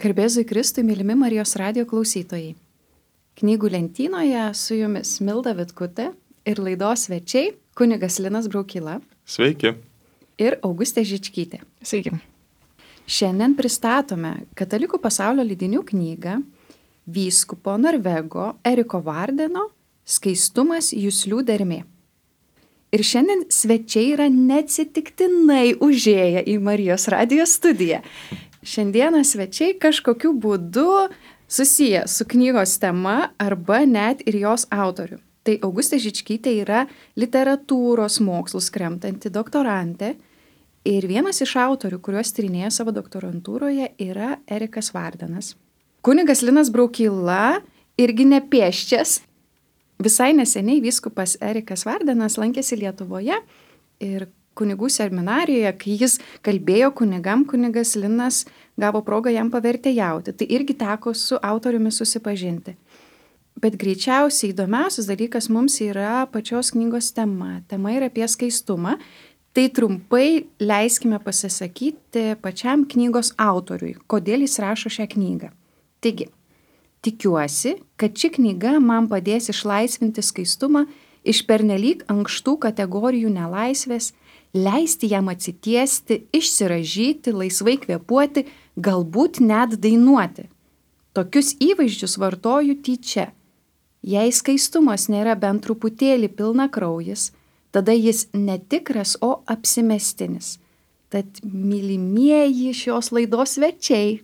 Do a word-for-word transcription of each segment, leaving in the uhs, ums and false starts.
Garbėzui Kristui, mylimi Marijos radijo klausytojai. Knygų lentynoje su jumis Milda Vitkutė ir laidos svečiai kunigas Linas Braukyla. Sveiki. Ir Augustė Žičkytė. Sveiki. Šiandien pristatome Katalikų pasaulio leidinių knygą vyskupo Norvego Eriko Vardeno Skaistumas juslių dermė. Ir šiandien svečiai yra neatsitiktinai užėję į Marijos radijo studiją. Šiandieną svečiai kažkokiu būdu susiję su knygos tema arba net ir jos autorių. Tai Augustė Žičkytė yra literatūros mokslus kremtanti doktorantė ir vienas iš autorių, kuriuos tyrinėja savo doktorantūroje, yra Erikas Vardenas. Kunigas Linas Braukyla irgi nepėsčias. Visai neseniai vyskupas Erikas Vardenas lankėsi Lietuvoje ir kunigų seminarijoje, kai jis kalbėjo kunigam, kunigas Linas gavo progą jam pavertėjauti. Tai irgi teko su autoriumi susipažinti. Bet greičiausiai įdomiausias dalykas mums yra pačios knygos tema. Tema yra apie skaistumą. Tai trumpai leiskime pasisakyti pačiam knygos autoriui, kodėl jis rašo šią knygą. Taigi, tikiuosi, kad ši knyga man padės išlaisvinti skaistumą iš pernelyg ankštų kategorijų nelaisvės, leisti jam atsitiesti, išsiražyti, laisvai kvėpuoti, galbūt net dainuoti. Tokius įvaizdžius vartoju tyčia. Jei skaistumas nėra bent truputėlį pilnakraujis, tada jis netikras, o apsimestinis. Tad mylimieji šios laidos svečiai,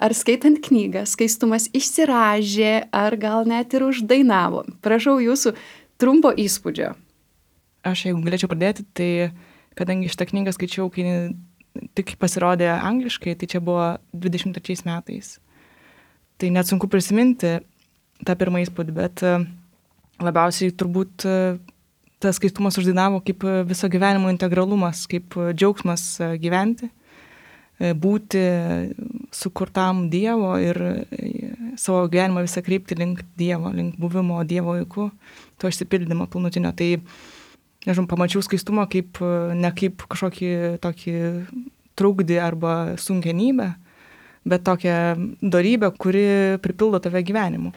ar skaitant knygą, skaistumas išsiražė, ar gal net ir uždainavo. Prašau jūsų trumpo įspūdžio. Aš jeigu galėčiau pradėti, tai kadangi šitą knygą skaičiau, kai tik pasirodė angliškai, tai čia buvo dvidešimt trečiais metais. Tai net sunku prisiminti tą pirmą įspūdį, bet labiausiai turbūt tas skaistumas uždainavo kaip viso gyvenimo integralumas, kaip džiaugsmas gyventi, būti sukurtam Dievo ir savo gyvenimą visą krypti link Dievo, link buvimo Dievo vaiku, to išsipildymo pilnutinio. Tai nežinau, pamačiau skaistumą kaip, ne kaip kažkokį tokį trukdį arba sunkenybę, bet tokią dorybę, kuri pripildo tave gyvenimu.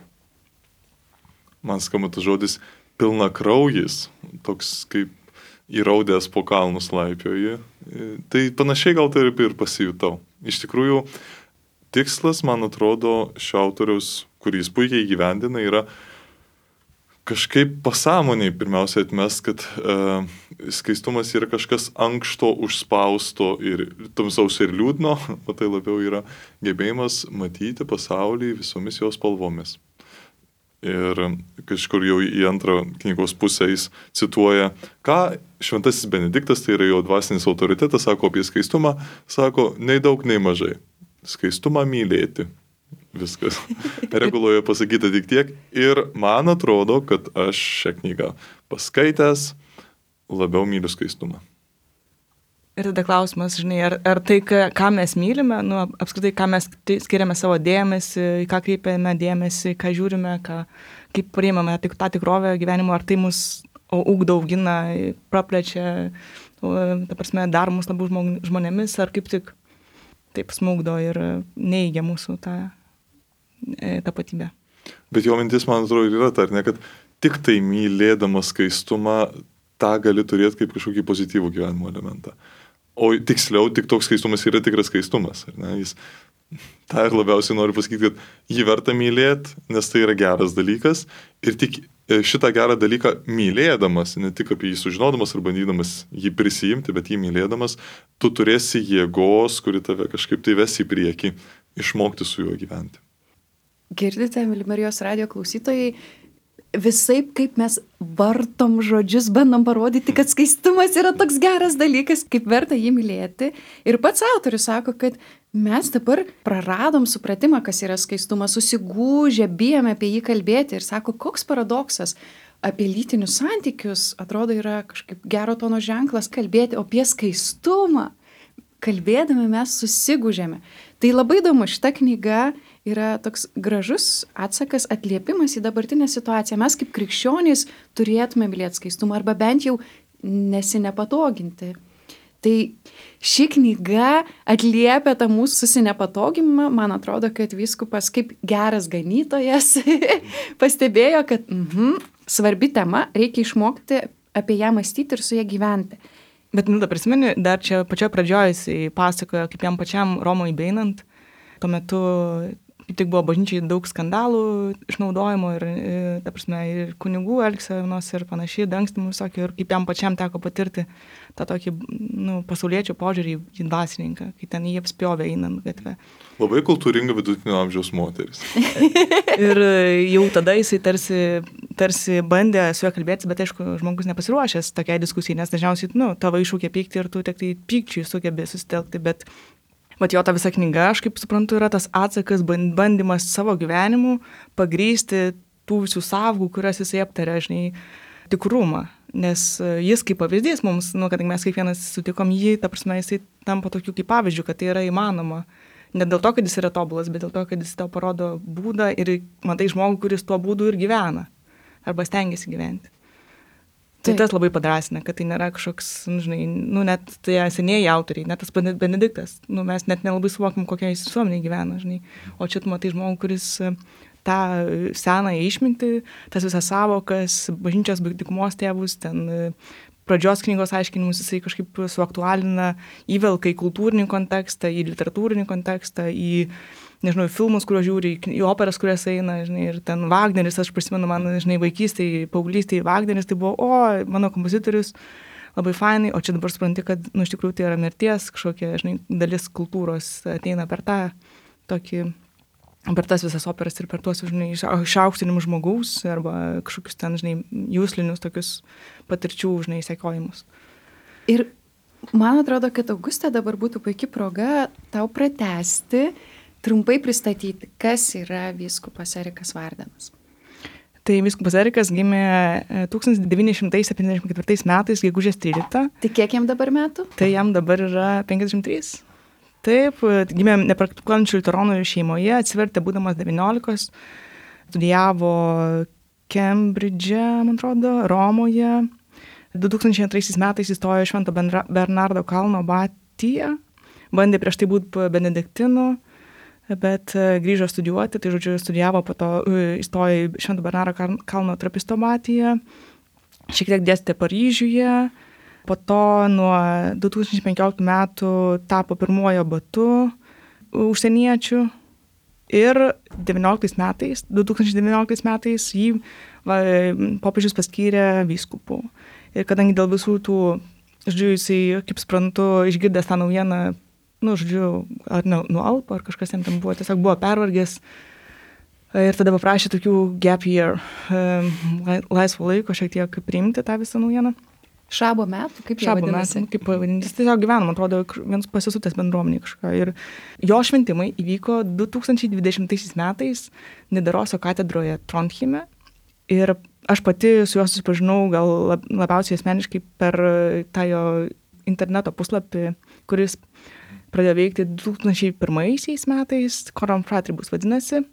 Man skamba tas žodis pilnakraujis, toks kaip įraudęs po kalnus laipioji. Tai panašiai gal tai ir pasijutau. Iš tikrųjų, tikslas, man atrodo, šio autoriaus, kurį jis puikiai įgyvendina, yra kažkaip pasąmoniai pirmiausia atmest, kad e, skaistumas yra kažkas ankšto, užspausto ir tamsaus ir liūdno, o tai labiau yra gebėjimas matyti pasaulį visomis jos spalvomis. Ir kažkur jau į antrą knygos pusę jis cituoja, ką šventasis Benediktas, tai yra jo dvasinis autoritetas, sako apie skaistumą, sako, nei daug, nei mažai. Skaistumą mylėti. Viskas. Reguloje pasakyta tik tiek. Ir man atrodo, kad aš šią knygą paskaitęs labiau myliu skaistumą. Ir tada klausimas, žinai, ar, ar tai, ką mes mylime, nu, apskritai, ką mes skiriame savo dėmesį, į ką kreipiame dėmesį, ką žiūrime, ką, kaip priimame tik tą tikrovę gyvenimo, ar tai mus ugdo, augina, praplečia, ta prasme, dar mus labiau žmonėmis, ar kaip tik taip smūgdo ir neigia mūsų tą tapatybę. Bet jo mintis, man atrodo, yra ta, ne, kad tik tai mylėdamas skaistumą, tą gali turėti kaip kažkokį pozityvų gyvenimo elementą. O tiksliau, tik toks skaistumas yra tikras skaistumas. Ar ne? Jis, tą ir labiausiai noriu pasakyti, kad jį verta mylėti, nes tai yra geras dalykas. Ir tik šitą gerą dalyką mylėdamas, ne tik apie jį sužinodamas ar bandydamas jį prisijimti, bet jį mylėdamas, tu turėsi jėgos, kuri tave kažkaip tai ves į priekį, išmokti su juo gyventi. Girdite, myli Marijos radijo klausytojai, visaip kaip mes vartom žodžius, bandom parodyti, kad skaistumas yra toks geras dalykas, kaip verta jį mylėti. Ir pats autorius sako, kad mes dabar praradom supratimą, kas yra skaistumas, susigūžę, bijome apie jį kalbėti. Ir sako, koks paradoksas apie lytinius santykius, atrodo, yra kažkaip gero tono ženklas kalbėti, o apie skaistumą kalbėdami mes susigūžėme. Tai labai įdomu, šita knyga yra toks gražus atsakas, atliepimas į dabartinę situaciją. Mes kaip krikščionys turėtume mylėti skaistumą arba bent jau nesinepatoginti. Tai ši knyga atliepia tą mūsų susinepatogimą. Man atrodo, kad vyskupas kaip geras ganytojas pastebėjo, kad mhm, svarbi tema, reikia išmokti apie ją mąstyti ir su ją gyventi. Bet, nu, da prisimeni, dar čia pačioje pradžioje jisai pasakojo, kaip jam pačiam Romoj beinant, tuo metu tik buvo bažnyčiai daug skandalų išnaudojimo ir, ta prasme, ir kunigų elgsenos ir panašiai, dangstymų visokio, ir kaip jam pačiam teko patirti tą tokį, nu, pasauliečio požiūrį į dvasininką, kai ten jį apspjovė einant gatvę. Labai kultūringa vidutinio amžiaus moteris. Ir jau tada jisai tarsi, tarsi bandė su juo kalbėtis, bet aišku, žmogus nepasiruošęs tokiai diskusijai, nes dažniausiai, nu, tavo iššūkė pykti ir tu tik tai pykčiui sugebė susitelkti, bet vat jo ta visa knyga, aš kaip suprantu, yra tas atsakas, bandymas savo gyvenimu pagrysti tų visų savų, kurias jisai aptarė, žinai, tikrumą. Nes jis kaip pavyzdys mums, nu, kadangi mes kiekvienas sutikom jį, ta prasme, jisai tampa tokiu kaip pavyzdžiu, kad tai yra įmanoma. Ne dėl to, kad jis yra tobulas, bet dėl to, kad jis tau parodo būdą ir matai žmogų, kuris tuo būdu ir gyvena. Arba stengiasi gyventi. Tai tas labai padrasina, kad tai nėra kažkoks, nu, žinai, nu, net tai senieji autoriai, net tas Benediktas, nu, mes net nelabai suvokim, kokia jis visuomenė gyvena, žinai. O čia tu matai žmogų, kuris tą senąją išmintį, tas visas savokas, bažnyčios dykumos tėvus, ten pradžios knygos aiškinimus jisai kažkaip suaktualina, įvelka į kultūrinį kontekstą, į literatūrinį kontekstą, į, nežinau, filmus, kuriuos žiūri, į operas, kurias eina, žinai, ir ten Wagneris, aš prisimenu, man, žinai, vaikystėje, paauglystėje Wagneris, tai buvo, o, mano kompozitorius, labai fainai, o čia dabar supranti, kad, nu, iš tikrųjų tai yra mirties, kažkokia, žinai, dalis kultūros ateina per tą tokį, per tas visas operas ir per tuos, žinai, išaukštinimus žmogaus arba kažkokius ten, žinai, jūslinius tokius patirčių, žinai, sekiojimus. Ir man atrodo, kad Auguste dabar būtų puikia proga tau pratęsti, trumpai pristatyti, kas yra vyskupas Erikas Vardenas. Tai vyskupas Erikas gimė tūkstantis devyni šimtai septyniasdešimt ketvirtais metais, gegužės tryliktą. Tai kiek jam dabar metų? Tai jam dabar yra penkiasdešimt trys. Taip, gimė nepraktikuojančių liuteronų šeimoje, atsivertė būdamas devyniolikos, studijavo Kembridže, man atrodo, Romoje. du tūkstančiai antraisiais metais įstojo Švento Bernardo kalno abatiją, bandė prieš tai būti benediktinu, bet grįžo studijuoti, tai žodžiu studijavo, po to įstojo į Švento Bernardo kalno trapisto abatiją, šiek tiek dėstė Paryžiuje, po to nuo du tūkstančiai penkioliktų metų tapo pirmuoju abatu užsieniečių ir devynioliktais metais, du tūkstančiai devynioliktais metais jį va, popiežius paskyrė vyskupu. Ir kadangi dėl visų tų, žodžiu, jisai, kaip suprantu, išgirdęs tą naujieną, nu, žodžiu, ar ne, nuo Alpo, ar kažkas jam ten buvo, tiesiog buvo pervargęs ir tada paprašė tokių gap year, laisvo laiko šiek tiek priimti tą visą naujieną. Šabo metų, kaip jie Šabo vadinasi? metų, kaip pavadinti. Jis tiesiog gyveno, man atrodo, vienas pasisutęs bendruomenį kažką. Ir jo šventimai įvyko du tūkstančiai dvidešimtaisiais metais Nidaroso katedroje Trondheime. Ir aš pati su juo susipažinau gal labiausiai asmeniškai per tą jo interneto puslapį, kuris pradėjo veikti du tūkstančiai pirmaisiais metais, Coram Fratribus vadinasi.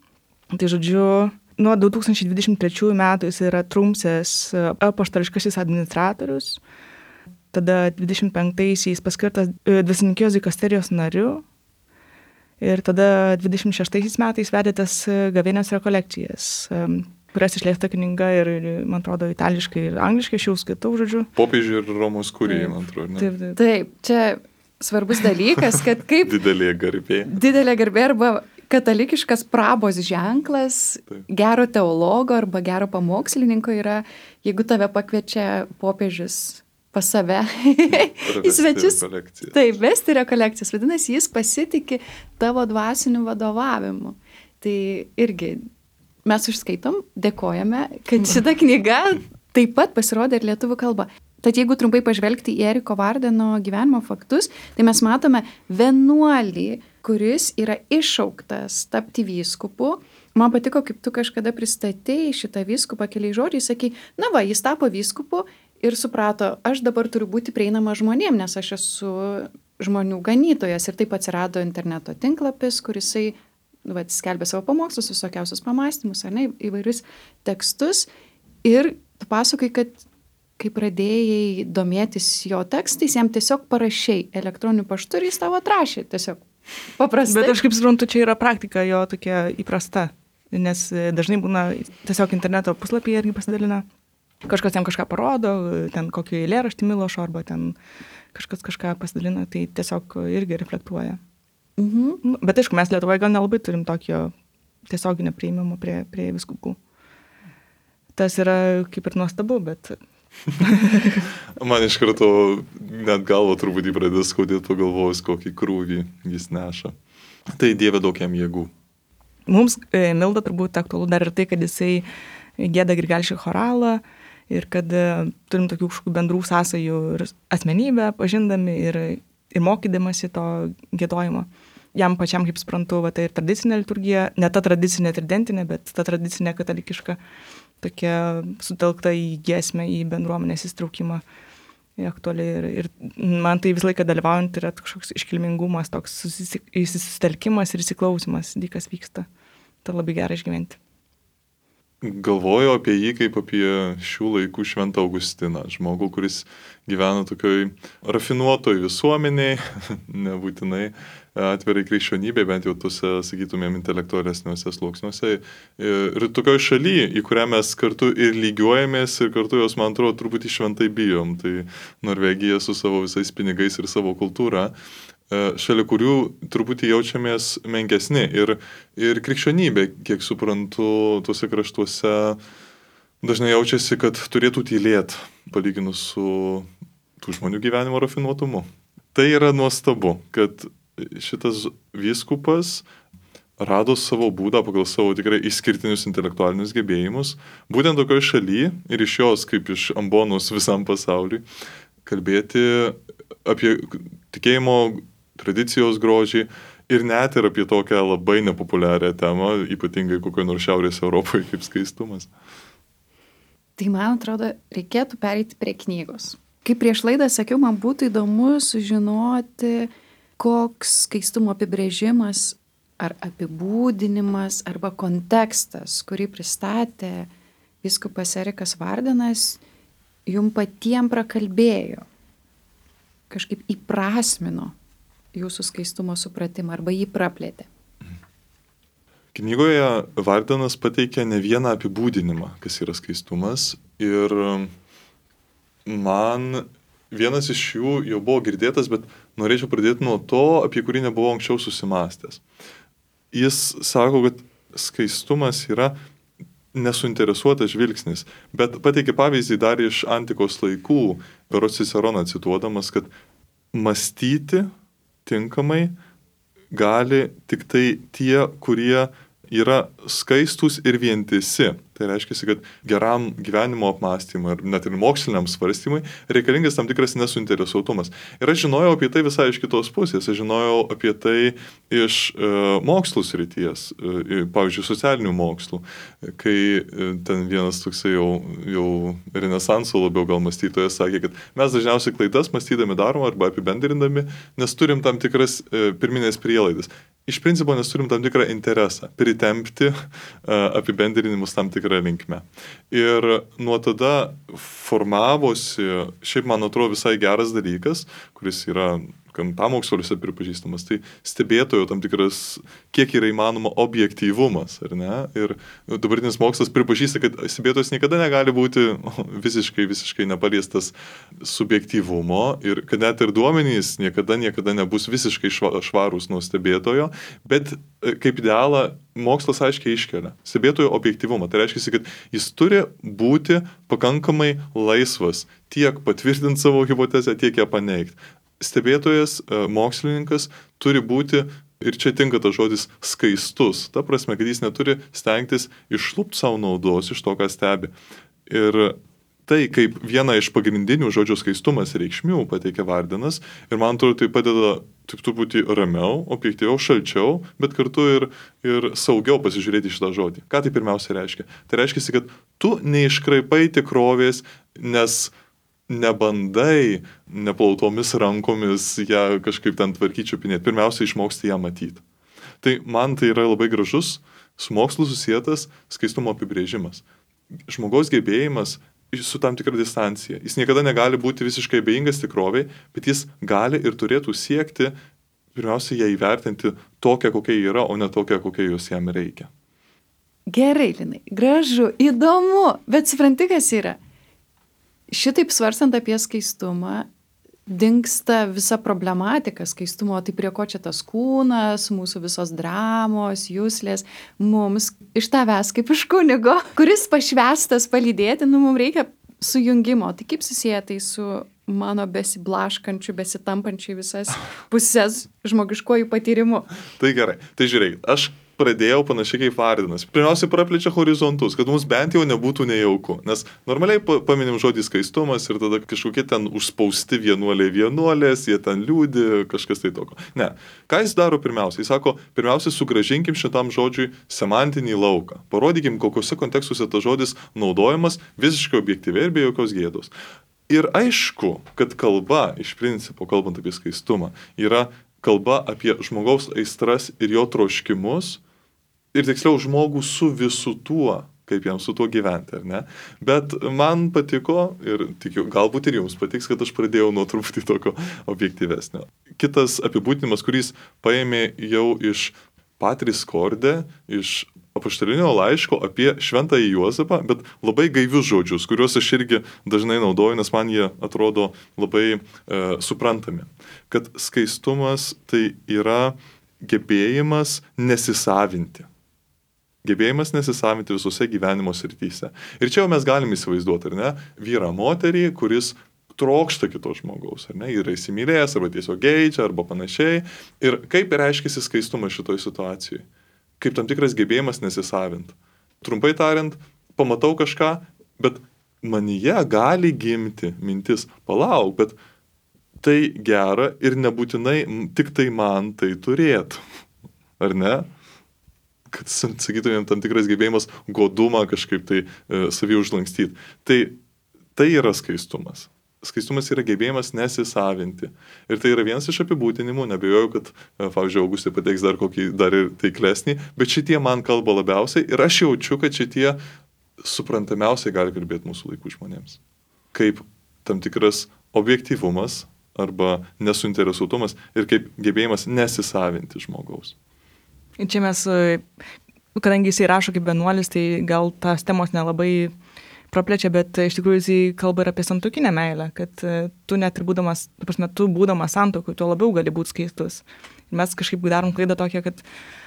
Tai žodžiu, nuo du tūkstančiai dvidešimt trečiųjų metų jis yra Trumsės apaštališkasis administratorius. Tada dvidešimt penktaisiais paskirtas dvasininkijos dikasterijos nariu. Ir tada dvidešimt šeštaisiais metais vedė tas gavėnios rekolekcijas, kurias išleista knyga ir, man atrodo, itališkai ir angliškai, aš jau skaitau, žodžiu. Popiežių ir Romos kurijai, man atrodo, ne? Taip, taip. Taip, čia svarbus dalykas, kad kaip... Didelė garbė. Didelė garbė arba katalikiškas prabos ženklas, taip, gero teologo arba gero pamokslininko yra, jeigu tave pakviečia popiežius pas save į svečius. Taip, vesti rekolekcijas. Vadinasi, jis pasitikė tavo dvasiniu vadovavimu. Tai irgi mes užskaitom, dėkojame, kad šita knyga taip pat pasirodė ir lietuvių kalba. Tad jeigu trumpai pažvelgti į Eriko Vardeno gyvenimo faktus, tai mes matome vienuolį, kuris yra iššauktas tapti vyskupu. Man patiko, kaip tu kažkada pristatei šitą vyskupą keliais žodžiais, sakai, na va, jis tapo vyskupu ir suprato, aš dabar turiu būti prieinama žmonėm, nes aš esu žmonių ganytojas. Ir taip atsirado interneto tinklapis, kurisai va, skelbė savo pamokslus, visokiausius pamąstymus, ar ne, įvairius tekstus. Ir tu pasakai, kad kai pradėjai domėtis jo tekstais, jam tiesiog parašiai elektroniniu paštu ir jis tavo atrašė tiesiog paprastai. Bet aš kaip suprantu, čia yra praktika jo tokia įprasta, nes dažnai būna tiesiog interneto puslapyje irgi pasidalina, kažkas jam kažką parodo, ten kokį eilėraštį Milošo arba ten kažkas kažką pasidalina, tai tiesiog irgi reflektuoja. Mhm. Bet aišku, mes Lietuvoje gal nelabai turim tokio tiesioginio priėmimo prie, prie vyskupų. Tas yra kaip ir nuostabu, bet... Man iš karto net galvo truputį pradės skaudėti pagalvojus, kokį krūvį jis neša. Tai Dieve daug jam jėgų. Mums e, Milda turbūt aktualu dar ir tai, kad jisai gieda Grigališką choralą ir kad e, turim tokių kažkokių bendrų sąsajų ir asmenybę pažindami ir, ir mokydamasi to giedojimo. Jam pačiam, kaip suprantu, va, tai ir tradicinė liturgija, ne ta tradicinė tridentinė, bet ta tradicinė katalikiška, tokia sutelkta į giesmę, į bendruomenės įstraukimą aktualiai. Ir, ir man tai visą laiką dalyvaujant yra kažkoks iškilmingumas, toks susitelkimas ir įsiklausimas, kas vyksta. Tai labai gerai išgyventi. Galvoju apie jį kaip apie šių laikų Šventą Augustiną, žmogų, kuris gyvena tokioj rafinuotoj visuomeniai, nebūtinai atvirai krikščionybė, bent jau tuose, sakytumėm, intelektualesniuose sluoksniuose. Ir tokioj šaly, į kurią mes kartu ir lygiuojamės, ir kartu jos, man atrodo, truputį šventai bijom. Tai Norvegija su savo visais pinigais ir savo kultūra, šalia kurių truputį jaučiamės menkesni. Ir, ir krikščionybė, kiek suprantu, tuose kraštuose dažnai jaučiasi, kad turėtų tylėti, palyginus su tų žmonių gyvenimo rafinuotumu. Tai yra nuostabu, kad šitas vyskupas rado savo būdą pagal savo tikrai išskirtinius intelektualinius gebėjimus, būtent tokioje šalyje ir iš jos, kaip iš ambonos visam pasauliui, kalbėti apie tikėjimo tradicijos grožį ir net ir apie tokią labai nepopuliarią temą, ypatingai kokioje nors Šiaurės Europoje kaip skaistumas. Tai man atrodo, reikėtų pereiti prie knygos. Kaip prieš laidą sakiau, man būtų įdomu sužinoti, koks skaistumo apibrėžimas ar apibūdinimas arba kontekstas, kurį pristatė vyskupas Erikas Vardenas, jum patiem prakalbėjo, kažkaip įprasmino jūsų skaistumo supratimą arba jį praplėtė. Knygoje Vardenas pateikia ne vieną apibūdinimą, kas yra skaistumas, ir man vienas iš jų jau buvo girdėtas, bet norėčiau pradėti nuo to, apie kurį nebuvau anksčiau susimastęs. Jis sako, kad skaistumas yra nesuinteresuotas žvilgsnis, bet pateikė pavyzdį dar iš antikos laikų, berods Ciceroną cituodamas, kad mąstyti tinkamai gali tik tai tie, kurie yra skaistus ir vientisi. Tai reiškia, kad geram gyvenimo apmąstymui ir net ir moksliniam svarstymui reikalingas tam tikras nesuinteresuotumas. Ir aš žinojau apie tai visai iš kitos pusės. Aš žinojau apie tai iš e, mokslų srities, e, pavyzdžiui, socialinių mokslų, kai e, ten vienas toksai jau, jau renesanso labiau gal mąstytojas sakė, kad mes dažniausiai klaidas mąstydami darom arba apibendrindami, nes turim tam tikras e, pirminės prielaidas. Iš principo nes turim tam tikrą interesą pritempti uh, apibendrinimus tam tikrą linkmę. Ir nuo tada formavosi, šiaip man atrodo visai geras dalykas, kuris yra pamoksliuose pripažįstamas, tai stebėtojo tam tikras, kiek yra įmanoma objektyvumas, ar ne? Ir dabartinis mokslas pripažįsta, kad stebėtojas niekada negali būti visiškai, visiškai nepaliestas subjektyvumo ir kad net ir duomenys niekada, niekada nebus visiškai švarūs nuo stebėtojo, bet kaip idealą mokslas aiškiai iškelia stebėtojo objektyvumą. Tai reiškia, kad jis turi būti pakankamai laisvas tiek patvirtinti savo hipotezę, tiek ją paneigti. Stebėtojas, mokslininkas turi būti, ir čia tinka tas žodis, skaistus. Ta prasme, kad jis neturi stengtis išlupti savo naudos iš to, ką stebi. Ir tai, kaip viena iš pagrindinių žodžio skaistumas reikšmių pateikia Vardenas, ir man atrodo, tai padeda tik truputį ramiau, objektyviau, šalčiau, bet kartu ir, ir saugiau pasižiūrėti šitą žodį. Ką tai pirmiausia reiškia? Tai reiškia, kad tu neiškraipai tikrovės, nes nebandai neplautomis rankomis ją kažkaip ten tvarkyti, čiupinėti. Pirmiausia, išmoksti ją matyti. Tai man tai yra labai gražus, su mokslu susietas skaistumo apibrėžimas. Žmogaus gebėjimas su tam tikra distancija. Jis niekada negali būti visiškai abejingas tikroviai, bet jis gali ir turėtų siekti, pirmiausia, ją įvertinti tokią, kokia yra, o ne tokią, kokia jos jam reikia. Gerai, Linai, gražu, įdomu, bet supranti, kas yra. Šitaip svarstant apie skaistumą, dingsta visa problematika skaistumo, tai prie ko čia tas kūnas, mūsų visos dramos, jūslės, mums iš tavęs kaip iš kunigo, kuris pašvestas palydėti, nu mums reikia sujungimo. Tai kaip susiję tai su mano besiblaškančiu, besitampančiu visas pusės žmogiškojų patyrimu? Tai gerai, tai žiūrėk, aš pradėjau panašiai kaip Vardinas. Pirmiausia, praplečia horizontus, kad mums bent jau nebūtų nejauku. Nes normaliai paminim žodį skaistumas ir tada kažkokie ten užspausti vienuoliai vienuolės, jie ten liūdi, kažkas tai tokio. Ne. Ką jis daro pirmiausia? Jis sako, pirmiausia, sugrąžinkim šitam žodžiui semantinį lauką. Parodykim, kokiuose kontekstuose tas žodis naudojamas visiškai objektyviai ir be jokios gėdos. Ir aišku, kad kalba, iš principo, kalbant apie skaistumą, yra kalba apie žmogaus aistras ir jo troškimus, ir tiksliau žmogų su visu tuo, kaip jam su tuo gyventi, ar ne? Bet man patiko, ir tikiu, galbūt ir jums patiks, kad aš pradėjau nuo truputį tokio objektyvesnio. Kitas apibūdinimas, kuris paėmė jau iš Patris Corde, iš apaštalinio laiško apie šventąjį Juozapą, bet labai gaivius žodžius, kuriuos aš irgi dažnai naudoju, nes man jie atrodo labai e, suprantami. Kad skaistumas tai yra gebėjimas nesisavinti. Gebėjimas nesisavinti visose gyvenimo srityse. Ir čia jau mes galime įsivaizduoti, ar ne, vyrą moterį, kuris trokšta kito žmogaus, ar ne, yra įsimylėjęs, arba tiesiog geidžia, arba panašiai. Ir kaip reiškiasi skaistumas šitoj situacijai? Kaip tam tikras gebėjimas nesisavint. Trumpai tariant, pamatau kažką, bet manyje gali gimti mintis, palauk, bet tai gera ir nebūtinai tik tai man tai turėtų. Ar ne? Kad, sakytumėm, tam tikras gebėjimas godumą kažkaip tai e, savį užlankstyti. Tai, tai yra skaistumas. Skaistumas yra gebėjimas nesisavinti. Ir tai yra vienas iš apibūdinimų, nebejoju, kad, pavyzdžiui, Augustė pateiks dar kokį, dar ir taiklesnį, bet šitie man kalba labiausiai ir aš jaučiu, kad šitie suprantamiausiai gali kalbėti mūsų laikų žmonėms. Kaip tam tikras objektyvumas arba nesuinteresuotumas ir kaip gebėjimas nesisavinti žmogaus. Ir čia mes, kadangi jisai rašo kaip vienuolis, tai gal tas temos nelabai praplečia, bet iš tikrųjų jisai kalba ir apie santuokinę meilę, kad tu net ir būdamas, tu prasme, tu būdamas santuokoj, tu labiau gali būti skaistus. Ir mes kažkaip darom klaidą tokią, kad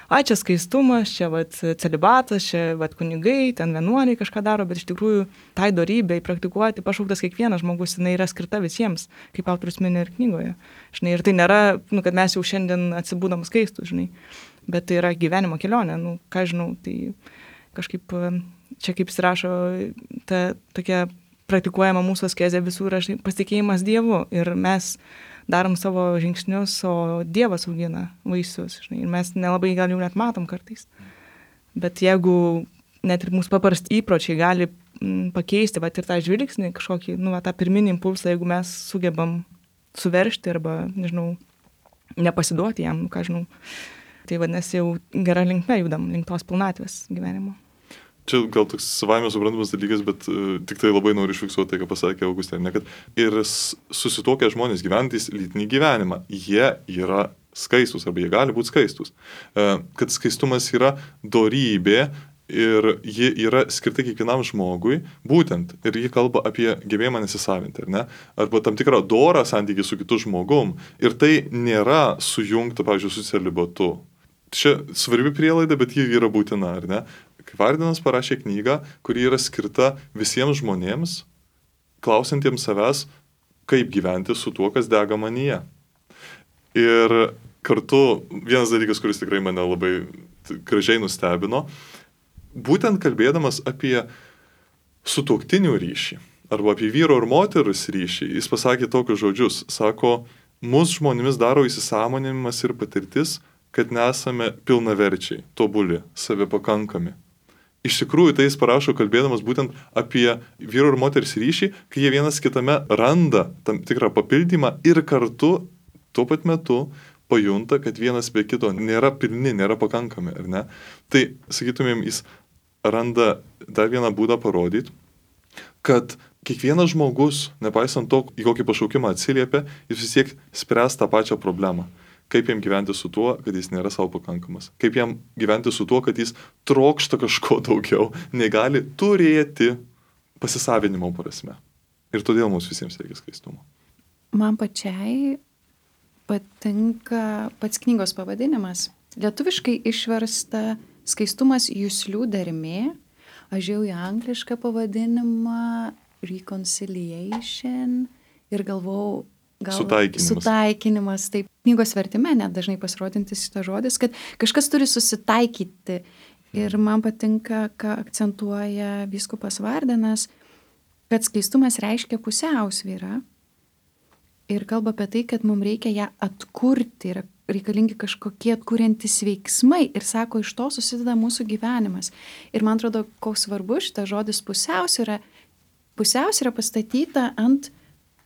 ai, čia skaistumas, čia vat, celibatas, čia vat, kunigai, ten vienuoliai kažką daro, bet iš tikrųjų tai dorybei praktikuoti pašauktas kiekvienas žmogus, jinai yra skirta visiems, kaip autorius mini ir knygoje. Žinai, ir tai nėra, nu, kad mes jau šiandien atsibūdam skaistus, žinai, bet tai yra gyvenimo kelionė, nu, ką žinau, tai kažkaip čia kaip jis rašo, ta tokia praktikuojama mūsų askezė visų yra pasitikėjimas Dievu ir mes darom savo žingsnius, o Dievas augina vaisius, žinai, ir mes nelabai gal jau net matom kartais. Bet jeigu net ir mūsų paprasti įpročiai gali m, pakeisti, va, ir tą žvilgsnį, kažkokį, nu, va, tą pirminį impulsą, jeigu mes sugebam suveržti arba, nežinau, nepasiduoti jam, nu, ką žinau, tai vadinasi jau gera linkme judam, link tos pilnatvės gyvenimo. Čia gal toks savaime suprantamas dalykas, bet uh, tik tai labai noriu išfiksuoti tai, ką pasakė Augustė, ne, kad ir susituokę žmonės gyventys lytinį gyvenimą, jie yra skaistus arba jie gali būti skaistus. Uh, kad skaistumas yra dorybė ir ji yra skirta kiekvienam žmogui, būtent, ir ji kalba apie gebėjimą nesisavinti, ar ne? Arba tam tikrą dorą santykį su kitu žmogum. Ir tai nėra sujungta, pavyzdžiui, su celibatu. Čia svarbi prielaida, bet ji yra būtina, ar ne? Kai Vardinas parašė knygą, kuri yra skirta visiems žmonėms, klausantiems savęs, kaip gyventi su tuo, kas dega manyje. Ir kartu vienas dalykas, kuris tikrai mane labai gražiai nustebino, būtent kalbėdamas apie sutuoktinių ryšį, arba apie vyro ir moteros ryšį, jis pasakė tokius žodžius, sako, mūsų žmonėmis daro įsisąmoninimas ir patirtis, kad nesame pilnaverčiai, tobuli, savipakankami. Iš tikrųjų, tai jis parašo kalbėdamas būtent apie vyro ir moters ryšį, kai jie vienas kitame randa tam tikrą papildymą ir kartu tuo pat metu pajunta, kad vienas be kito nėra pilni, nėra pakankami, ar ne? Tai, sakytumėm, jis randa dar vieną būdą parodyti, kad kiekvienas žmogus, nepaisant to, į kokį pašaukimą atsiliepia, jis vis tiek spręs tą pačią problemą. Kaip jam gyventi su tuo, kad jis nėra savo pakankamas. Kaip jam gyventi su tuo, kad jis trokšta kažko daugiau, negali turėti pasisavinimo prasme. Ir todėl mums visiems reikia skaistumo. Man pačiai patinka pats knygos pavadinimas. Lietuviškai išversta skaistumas juslių dermė. Aš jau į anglišką pavadinimą reconciliation ir galvau, gal Sutaikinimas. sutaikinimas. Taip, knygos vertime net dažnai pasirodintis šitas žodis, kad kažkas turi susitaikyti. Ir man patinka, ką akcentuoja vyskupas Vardenas, kad skaistumas reiškia pusiausvyrą ir kalba apie tai, kad mums reikia ją atkurti, yra reikalingi kažkokie atkuriantys veiksmai ir sako, iš to susideda mūsų gyvenimas. Ir man atrodo, koks svarbus šitas žodis pusiausvyra, pusiausvyra pastatyta ant,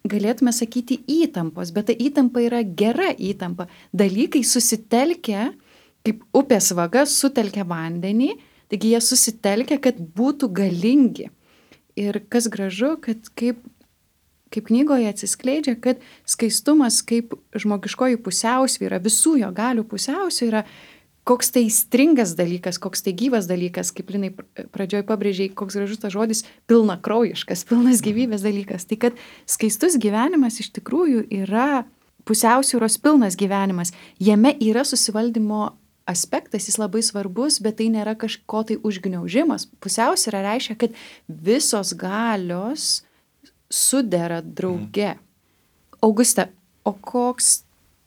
galėtume sakyti, įtampos, bet ta įtampa yra gera įtampa. Dalykai susitelkia, kaip upės vaga sutelkia vandenį, taigi jie susitelkia, kad būtų galingi. Ir kas gražu, kad kaip kaip knygoje atsiskleidžia, kad skaistumas kaip žmogiškoji pusiausvyra, visų jo galių pusiausvyra, koks tai stringas dalykas, koks tai gyvas dalykas, kaip Linai pradžioj pabrėžiai, koks gražus tas žodis, pilnakraujiškas, pilnas gyvybės dalykas. Tai kad skaistus gyvenimas iš tikrųjų yra pusiausvyros pilnas gyvenimas. Jame yra susivaldymo aspektas, jis labai svarbus, bet tai nėra kažko tai užgniaužimas. Pusiausvyra reiškia, kad visos galios sudera drauge. Auguste, o koks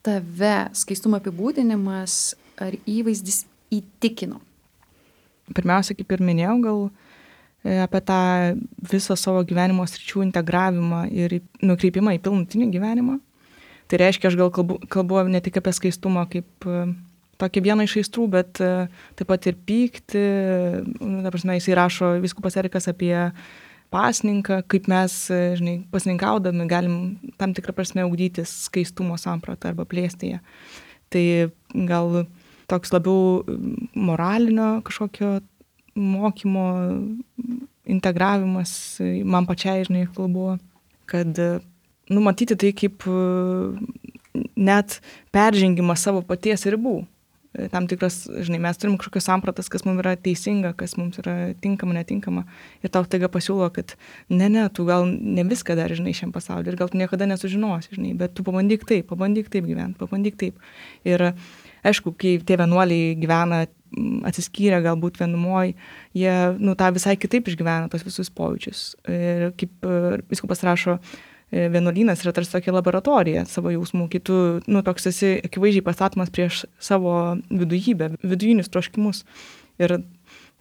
tave skaistumo apibūdinimas ar įvaizdis įtikino? Pirmiausia, kaip ir minėjau, gal apie tą visą savo gyvenimo sričių integravimą ir nukreipimą į pilnutinį gyvenimą. Tai reiškia, aš gal kalbu, kalbu ne tik apie skaistumą kaip tokį vieną iš aistrų, bet taip pat ir pyktį. Ta prasme, jisai rašo vyskupas Erikas apie pasninką, kaip mes, žinai, pasninkaudami galim tam tikrą prasme ugdytis skaistumo sampratą arba plėsti ją. Tai gal toks labiau moralinio kažkokio mokymo integravimas man pačiai, žinai, kalbu, kad numatyti tai kaip net peržengimas savo paties ribų. Tam tikras, žinai, mes turim kažkokios sampratas, kas mums yra teisinga, kas mums yra tinkama, netinkama. Ir tau taiga pasiūlo, kad ne, ne, tu gal ne viską dar, žinai, šiam pasauliu ir gal tu niekada nesužinosi, žinai, bet tu pabandyk taip, pabandyk taip gyventi, pabandyk taip. Ir aišku, kai tie vienuoliai gyvena atsiskyrę, galbūt vienumoj, jie, nu, tą visai kitaip išgyvena tos visus pojūčius. Ir kaip vyskupas rašo, vienuolynas yra tarsi tokia laboratorija savo jausmų, kai tu, nu, toks esi akivaizdžiai pastatomas prieš savo vidujybę, vidujinius troškimus. Ir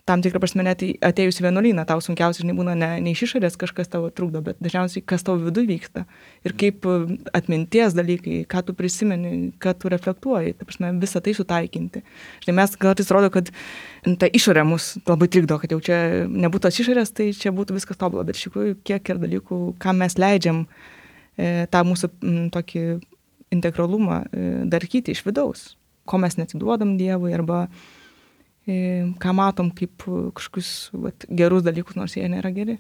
tam tikrą prasme net atėjus į vienuolyną, tau sunkiausiai, žinai, būna ne, ne iš išorės kažkas tavo trukdo, bet dažniausiai kas tavo viduj vyksta. Ir kaip atminties dalykai, ką tu prisimeni, ką tu reflektuoji, ta prasme, visą tai sutaikinti. Žinai, mes kartais rodo, kad ta išorė mus labai trikdo, kad jau čia nebūtų tos išorės, tai čia būtų viskas tobula, bet iš tikrųjų kiek ir dalykų, ką mes leidžiam e, tą mūsų m, tokį integralumą e, darkyti iš vidaus, ko mes neatiduodam Dievui arba ką matom kaip kažkokius vat, gerus dalykus, nors jie nėra geri.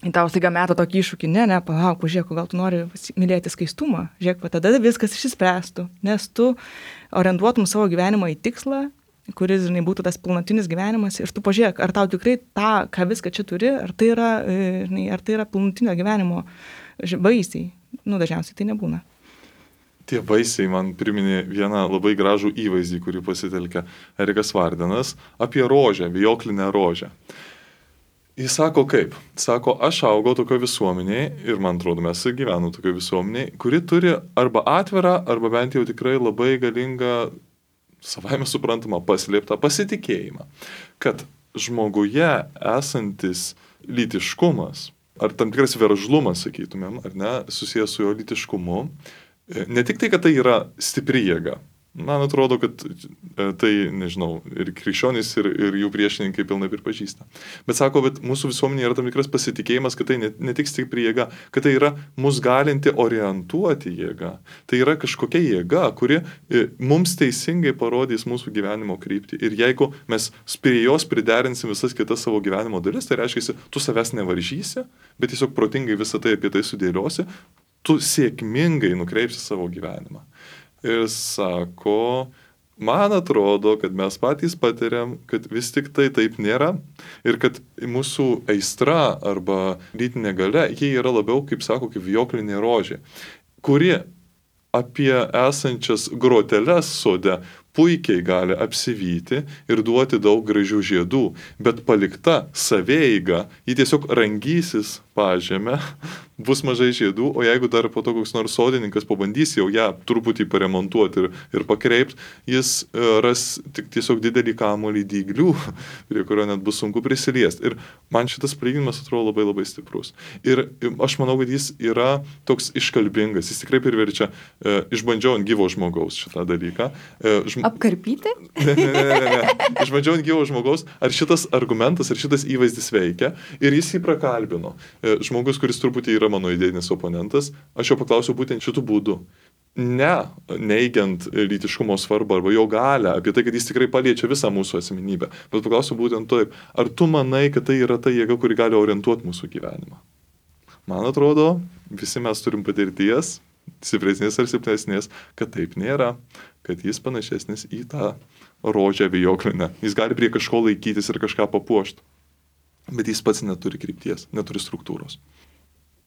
Ir tau staiga meta tokį iššūkį, ne, ne, palauk, pažiūrėk, gal tu nori mylėti skaistumą, žiūrėk, va, tada viskas išsispręstų, nes tu orientuotum savo gyvenimą į tikslą, kuris, žinai, būtų tas pilnatinis gyvenimas ir tu pažiūrėk, ar tau tikrai tą, ką viską čia turi, ar tai yra, žinai, ar tai yra pilnatinio gyvenimo vaisiai. Nu, dažniausiai tai nebūna. Tie vaisiai man priminė vieną labai gražų įvaizdį, kurį pasitelkia Erikas Vardenas, apie rožę, vijoklinę rožę. Jis sako kaip? Sako, aš augau tokio visuomeniai ir man atrodo, mes gyvename tokio visuomeniai, kuri turi arba atvirą, arba bent jau tikrai labai galingą, savaime suprantamą, paslėptą pasitikėjimą, kad žmoguje esantis lytiškumas, ar tam tikras veržlumas, sakytumėm, ar ne, susijęs su jo lytiškumu, ne tik tai, kad tai yra stipri jėga, Man atrodo, kad tai, nežinau, ir krikščionys, ir, ir jų priešininkai pilnai pripažįsta. Bet sako, bet mūsų visuomenė yra tam tikras pasitikėjimas, kad tai ne, ne tik stipri jėga, kad tai yra mus galinti orientuoti jėga. Tai yra kažkokia jėga, kuri mums teisingai parodys mūsų gyvenimo kryptį. Ir jeigu mes prie jos priderinsim visas kitas savo gyvenimo dalis, tai reiškia, tu savęs nevaržysi, bet tiesiog protingai visą tai apie tai sudėliosi, tu sėkmingai nukreipsi savo gyvenimą. Ir sako, man atrodo, kad mes patys patiriam, kad vis tik tai taip nėra ir kad mūsų aistra arba lytinė galia, jie yra labiau, kaip sako, kaip vijoklinė rožė, kuri apie esančias groteles sode puikiai gali apsivyti ir duoti daug gražių žiedų, bet palikta savieiga, ji tiesiog rangysis pažemę, bus mažai žiedų, o jeigu dar po to koks nors sodininkas pabandys jau ją truputį paremontuoti ir, ir pakreipti, jis ras tik tiesiog didelį kamuolį dyglių, prie kurio net bus sunku prisiliesti. Ir man šitas palyginimas atrodo labai labai stiprus. Ir aš manau, kad jis yra toks iškalbingas, jis tikrai priverčia, e, išbandžiau ant gyvo žmogaus šitą dalyką. E, žm... Apkarpyti? Ne, ne, ne, ne, ne. Išbandžiau ant gyvo žmogaus, ar šitas argumentas, ar šitas įvaizdis veikia, ir jis jį prakalbino. E, žmogus, kuris truputį yra mano idėjinis oponentas, aš jo paklausiau būtent šitų būdų. Ne neigiant lytiškumo svarbą arba jo galę, apie tai, kad jis tikrai paliečia visą mūsų asmenybę, bet paklausiau būtent taip, ar tu manai, kad tai yra ta jėga, kuri gali orientuoti mūsų gyvenimą? Man atrodo, visi mes turim patirties, stipresnės ar silpnesnės, kad taip nėra, kad jis panašesnis į tą rožę vijoklinę. Jis gali prie kažko laikytis ir kažką papuošti, bet jis pats neturi krypties, neturi struktūros.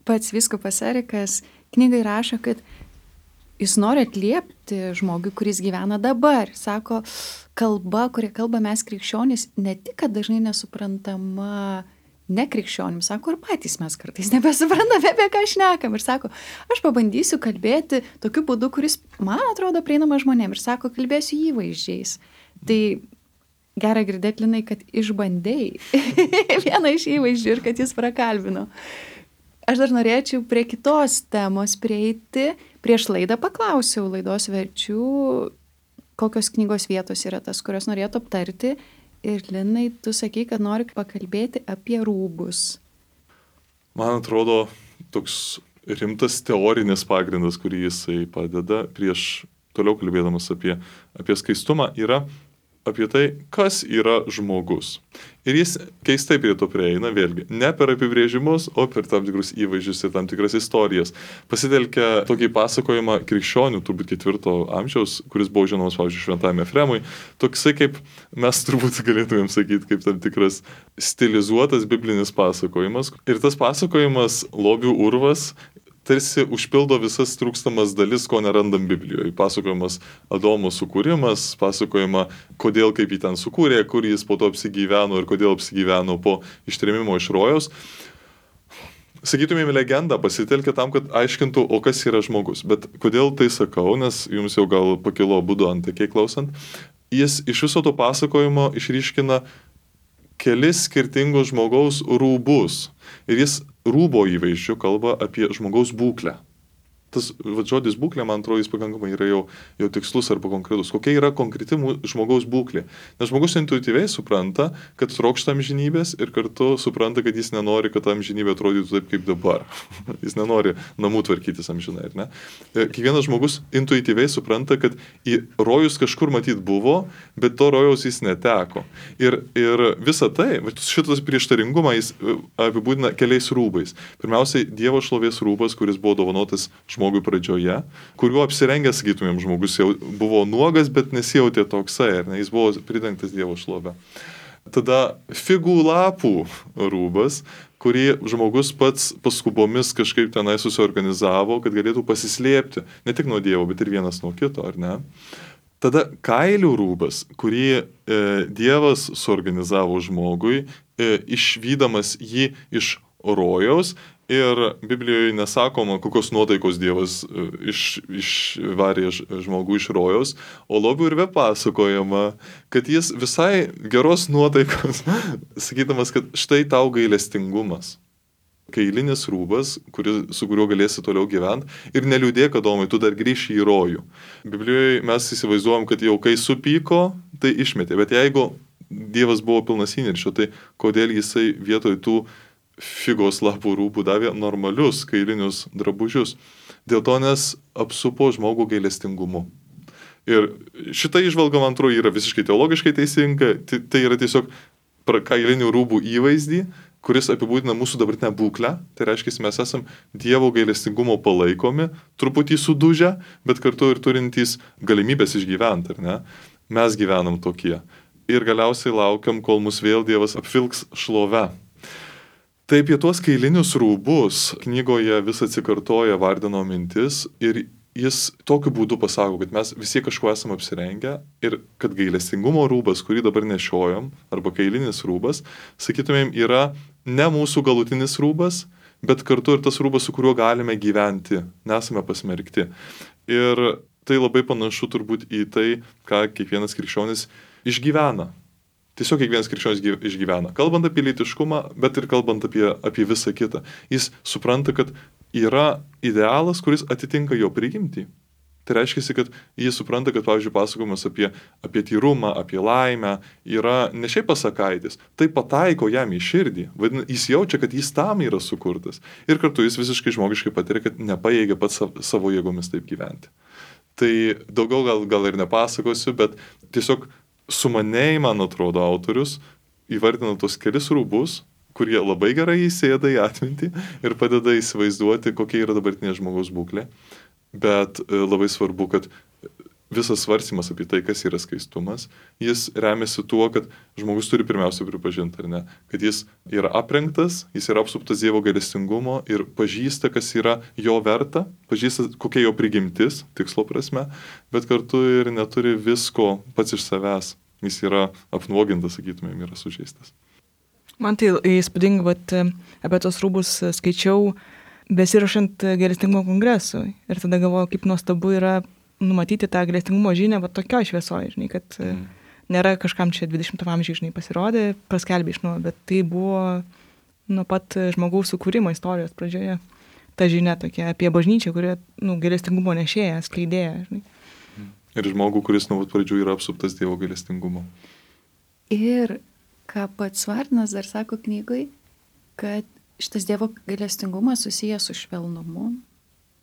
Pats vyskupas Erikas knygai rašo, kad jis nori atliepti žmogui, kuris gyvena dabar. Sako, kalba, kurią kalba mes krikščionys, ne tik, kad dažnai nesuprantama nekrikščionims, sako, ir patys mes kartais nebesuprantame, apie ką šnekam. Ir sako, aš pabandysiu kalbėti tokiu būdu, kuris, man atrodo, prieinama žmonėm. Ir sako, kalbėsiu įvaizdžiais. Tai gera girdėti, Linai, kad išbandėjai vieną iš įvaizdžių ir kad jis prakalbino. Aš dar norėčiau prie kitos temos prieiti. Prieš laidą paklausiau laidos verčių, kokios knygos vietos yra tas, kurios norėtų aptarti. Ir Linai, tu sakei, kad nori pakalbėti apie rūbus. Man atrodo, toks rimtas teorinis pagrindas, kurį jisai padeda prieš toliau kalbėdamas apie, apie skaistumą, yra apie tai, kas yra žmogus. Ir jis keistai prie to prieina, vėlgi, ne per apibrėžimus, o per tam tikrus įvaizdžius ir tam tikras istorijas. Pasitelkia tokį pasakojimą krikščionių, turbūt ketvirto amžiaus, kuris buvo žinomas, pavyzdžiui, Šventajam Efremui. Toksai, kaip mes turbūt galėtumėm sakyti, kaip tam tikras stilizuotas biblinis pasakojimas. Ir tas pasakojimas, lobių urvas, tarsi užpildo visas trūkstamas dalis, ko nerandam Biblijoje. Pasakojimas Adomo sukūrimas, pasakojama, kodėl kaip jį ten sukūrė, kur jis po to apsigyveno ir kodėl apsigyveno po ištrėmimo iš rojaus. Sakytumėm, legendą pasitelkia tam, kad aiškintų, o kas yra žmogus. Bet kodėl tai sakau, nes jums jau gal pakilo būdu antakiai klausant, jis iš viso to pasakojimo išryškina kelis skirtingus žmogaus rūbus. Ir jis rūbo įvaizdžių kalba apie žmogaus būklę. Tas va, žodis būklė, man atrodo, jis pakankamai yra jau, jau tikslus arba konkretus. Kokia yra konkreti žmogaus būklė? Nes žmogus intuityviai supranta, kad trokšta amžinybės ir kartu supranta, kad jis nenori, kad amžinybė atrodytų taip kaip dabar. Jis nenori namų tvarkytis amžinai, ar ne? Kiekvienas žmogus intuityviai supranta, kad į rojus kažkur matyt buvo, bet to rojaus jis neteko. Ir, ir visa tai, šitas prieštaringumą jis apibūdina keliais rūbais. Pirmiausiai, Dievo šlovės rūbas, kuris buvo dovanotas žmogui pradžioje, kuriuo apsirengęs, sakytumėm, žmogus jau buvo nuogas, bet nesijautė toksai, ar ne, jis buvo pridengtas Dievo šlove. Tada figų lapų rūbas, kurį žmogus pats paskubomis kažkaip tenai susiorganizavo, kad galėtų pasislėpti, ne tik nuo Dievo, bet ir vienas nuo kito, ar ne? Tada kailių rūbas, kurį e, Dievas suorganizavo žmogui, e, išvydamas jį iš rojaus. Ir Biblijoje nesakoma, kokios nuotaikos Dievas iš, išvarė žmogų iš rojaus, o lobių urve pasakojama, kad jis visai geros nuotaikos, sakydamas, kad štai tau gailestingumas. kailinis rūbas, kuris, su kuriuo galėsi toliau gyventi ir neliūdėk, Adomai, tu dar grįši į rojų. Biblijoje mes įsivaizduojam, kad jau kai supyko, tai išmetė, bet jeigu Dievas buvo pilnas įniršio, tai kodėl jisai vietoj tų figos lapų rūbų davė normalius kailinius drabužius? Dėl to, nes apsupo žmogų gailestingumu. Ir šita įžvalga, man atrodo, yra visiškai teologiškai teisinga, tai, tai yra tiesiog kailinių rūbų įvaizdį, kuris apibūdina mūsų dabartinę būklę, tai reiškia, mes esam Dievo gailestingumo palaikomi, truputį sudužę, bet kartu ir turintys galimybės išgyventi, ar ne? Mes gyvenam tokie. Ir galiausiai laukiam, kol mus vėl Dievas apvilks šlove. Tai apie tuos kailinius rūbus knygoje vis atsikartoja Vardeno mintis ir jis tokiu būdu pasako, kad mes visi kažkuo esame apsirengę ir kad gailestingumo rūbas, kurį dabar nešiojam, arba kailinis rūbas, sakytumėm, yra ne mūsų galutinis rūbas, bet kartu ir tas rūbas, su kuriuo galime gyventi, nesame pasmerkti. Ir tai labai panašu turbūt į tai, ką kiekvienas krikščionis išgyvena. Tiesiog kiekvienas krikščionis išgyvena. Kalbant apie lytiškumą, bet ir kalbant apie, apie visą kitą. Jis supranta, kad yra idealas, kuris atitinka jo prigimtį. Tai reiškia, kad jis supranta, kad, pavyzdžiui, pasakojimas apie, apie tyrumą, apie laimę yra ne šiaip pasakaitis, tai pataiko jam į širdį. Vadina, jis jaučia, kad jis tam yra sukurtas. Ir kartu jis visiškai žmogiškai patiria, kad nepajėgia pats savo jėgomis taip gyventi. Tai daugiau gal, gal ir nepasakosiu, bet tiesiog sumaniai, man atrodo, autorius įvardina tos kelis rūbus, kurie labai gerai įsėda į atmintį ir padeda įsivaizduoti, kokia yra dabartinė žmogaus būklė. Bet labai svarbu, kad visas svarstymas apie tai, kas yra skaistumas, jis remiasi tuo, kad žmogus turi pirmiausia pripažinti, ar ne, kad jis yra aprengtas, jis yra apsuptas Dievo gailestingumo ir pažįsta, kas yra jo verta, pažįsta, kokia jo prigimtis, tikslo prasme, bet kartu ir neturi visko pats iš savęs. Jis yra apnuogintas, sakytumėm, yra sužeistas. Man tai įspūdinga, bet apie tos rūbus skaičiau besirašant gailestingumo kongresui. Ir tada galvoju, kaip nuostabu yra numatyti tą gailestingumo žinią, bet tokio šviesoje, žinai, kad mm. nėra kažkam čia dvidešimtam amžiuje, žinai, pasirodė, paskelbė iš nuo, bet tai buvo nuo pat žmogaus sukūrimo istorijos pradžioje. Ta žinia tokia apie bažnyčią, kuri, nu, gailestingumo nešėja, skleidėja, žinai. Ir žmogų, kuris nuo pat pradžių yra apsuptas Dievo gailestingumo. Ir ką pats Vardinas dar sako knygoj, kad šitas Dievo gailestingumas susijęs su švelnumu,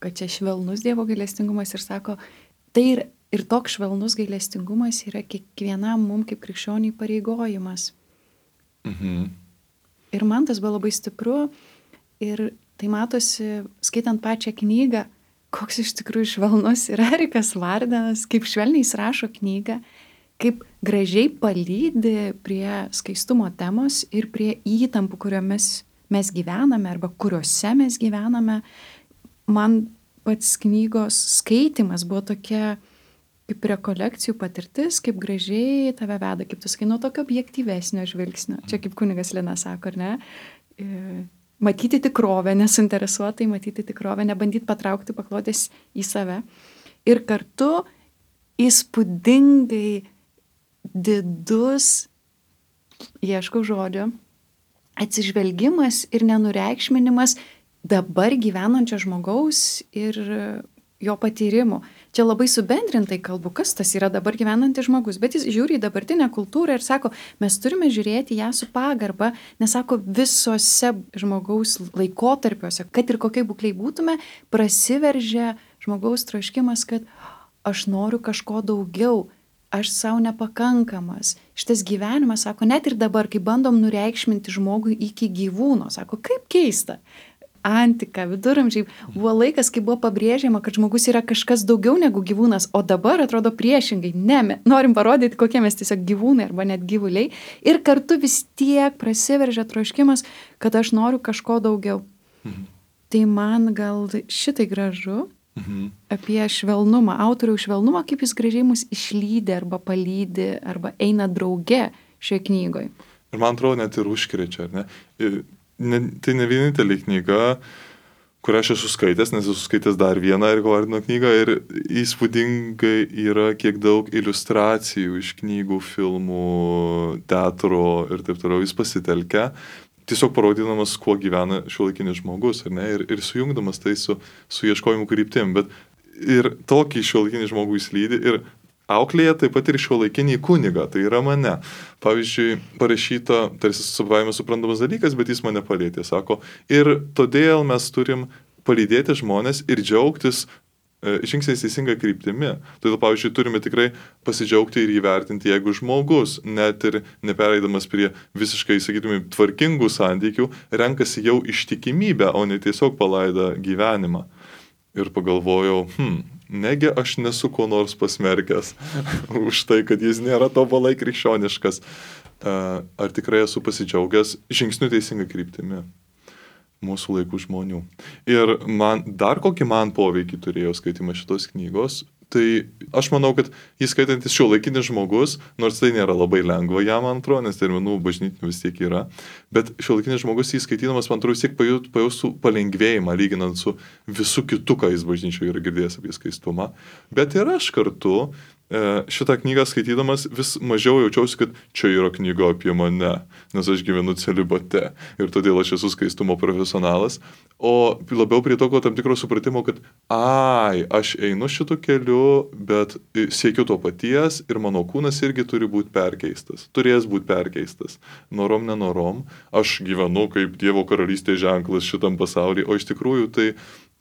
kad čia švelnus Dievo gailestingumas ir sako, tai ir, ir toks švelnus gailestingumas yra kiekvienam mums kaip krikščioniui pareigojimas. Mhm. Ir man tas buvo labai stipru ir tai matosi, skaitant pačią knygą, koks iš tikrųjų švelnus yra Erikas Vardinas, kaip švelniai jis rašo knygą, kaip gražiai palydi prie skaistumo temos ir prie įtampų, kuriomis mes gyvename arba kuriuose mes gyvename. Man pats knygos skaitimas buvo tokia kaip rekolekcijų patirtis, kaip gražiai tave veda, kaip tu sakai, nuo tokio objektyvesnio žvilgsnio. Čia kaip kunigas Lina sako, ar ne? Matyti tikrovę, nesuinteresuotai matyti tikrovę, nebandyti patraukti paklodės į save. Ir kartu įspūdingai didus, ieškau žodžio, atsižvelgimas ir nenureikšminimas dabar gyvenančio žmogaus ir jo patyrimų. Čia labai subendrintai kalbu, kas tas yra dabar gyvenantis žmogus, bet jis žiūri į dabartinę kultūrą ir sako, mes turime žiūrėti ją su pagarba, nes sako, visose žmogaus laikotarpiuose, kad ir kokiai būkliai būtume, prasiveržia žmogaus troškimas, kad aš noriu kažko daugiau, aš savo nepakankamas. Šitas gyvenimas, sako, net ir dabar, kai bandom nureikšminti žmogui iki gyvūno, sako, kaip keista. Antika, viduramžiai buvo laikas, kai buvo pabrėžiama, kad žmogus yra kažkas daugiau negu gyvūnas, o dabar atrodo priešingai. Ne, norim parodyti, kokie mes tiesiog gyvūnai arba net gyvuliai. Ir kartu vis tiek prasiveržia troškimas, kad aš noriu kažko daugiau. Mhm. Tai man gal šitai gražu Mhm. apie švelnumą, autoriaus švelnumą, kaip jis gražiai mus išlydi arba palydi arba eina drauge šioje knygoje. Ir man atrodo net ir užkrečia, ar ne? Ir Ne, tai ne vienintelė knyga, kurią aš esu skaitęs, nes esu skaitęs dar vieną Eriko Vardino knygą ir įspūdingai yra kiek daug iliustracijų iš knygų, filmų, teatro ir taip toliau jis pasitelkia. tiesiog parodydamas, kuo gyvena šiuolaikinis žmogus, ar ne, ir, ir sujungdamas tai su, su ieškojimu kryptim, bet ir tokį šiuolaikinį žmogų įslydi ir auklėje taip pat ir šiuolaikinį kunigą, tai yra mane. Pavyzdžiui, parašyta, tarsi savaime suprantamas dalykas, bet jis mane palėtė, sako, ir todėl mes turim palydėti žmonės ir džiaugtis žingsniais teisinga kryptimi. Todėl, pavyzdžiui, turime tikrai pasidžiaugti ir įvertinti, jeigu žmogus, net ir nepereidamas prie visiškai, sakytume, tvarkingų santykių, renkasi jau ištikimybę, o ne tiesiog palaidą gyvenimą. Ir pagalvojau, hm, negi aš nesu ko nors pasmerkęs už tai, kad jis nėra tobulai krikščioniškas. Ar tikrai esu pasidžiaugęs žingsniu teisinga kryptimi mūsų laikų žmonių. Ir man, dar kokį man poveikį turėjo skaitimas šitos knygos, tai aš manau, kad jis skaitantis šiuolaikinis žmogus, nors tai nėra labai lengva jam, man atrodo, nes terminų bažnytinių vis tiek yra, bet šiuolaikinis žmogus jį skaitydamas, man atrodo, vis tiek pajaustų palengvėjimą, lyginant su visu kitu, ką jis bažnyčioje yra girdėjęs apie skaistumą. Bet ir aš kartu šitą knygą skaitydamas vis mažiau jaučiausi, kad čia yra knyga apie mane, nes aš gyvenu celibate ir todėl aš esu skaistumo profesionalas, o labiau prie tokio tam tikro supratimo, kad ai, aš einu šitu keliu, bet siekiu to paties ir mano kūnas irgi turi būti perkeistas, turės būti perkeistas, norom nenorom, aš gyvenu kaip Dievo karalystės ženklas šitam pasaulyje, o iš tikrųjų tai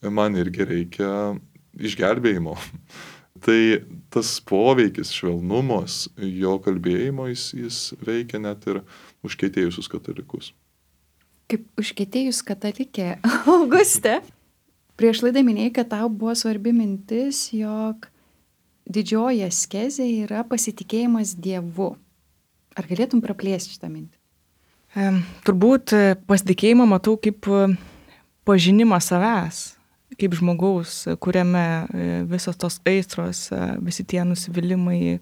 man irgi reikia išgelbėjimo. Tai tas poveikis, švelnumas, jo kalbėjimo, jis, jis veikia net ir užkietėjusius katalikus. Kaip užkietėjus katalikė, Auguste, prieš laidą minėjai, kad tau buvo svarbi mintis, jog didžioji askezė yra pasitikėjimas Dievu. Ar galėtum praplėsti šitą mintį? E, turbūt pasitikėjimą matau kaip pažinimą savęs, kaip žmogaus, kuriame visos tos aistros, visi tie nusivylimai,